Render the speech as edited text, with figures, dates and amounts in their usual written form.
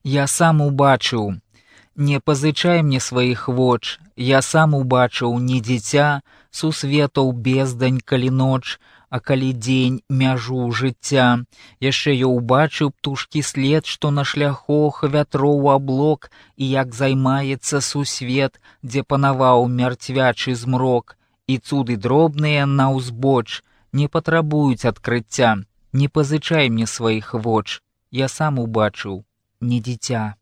Я сам убачыў. Не пазычай мне сваіх воч, я сам убачыў не дзіця, сусветаў бездань, калі ноч, а калі дзень мяжу жыцця. Яшчэ я ўбачыў птушкі след, што на шляхах вятроў аблок, і як займаецца сусвет, дзе панаваў мярцвячы змрок. І цуды дробныя на ўзбоч не патрабуюць адкрыцця. Не пазычай мне сваіх воч, я сам убачыў не дзіця.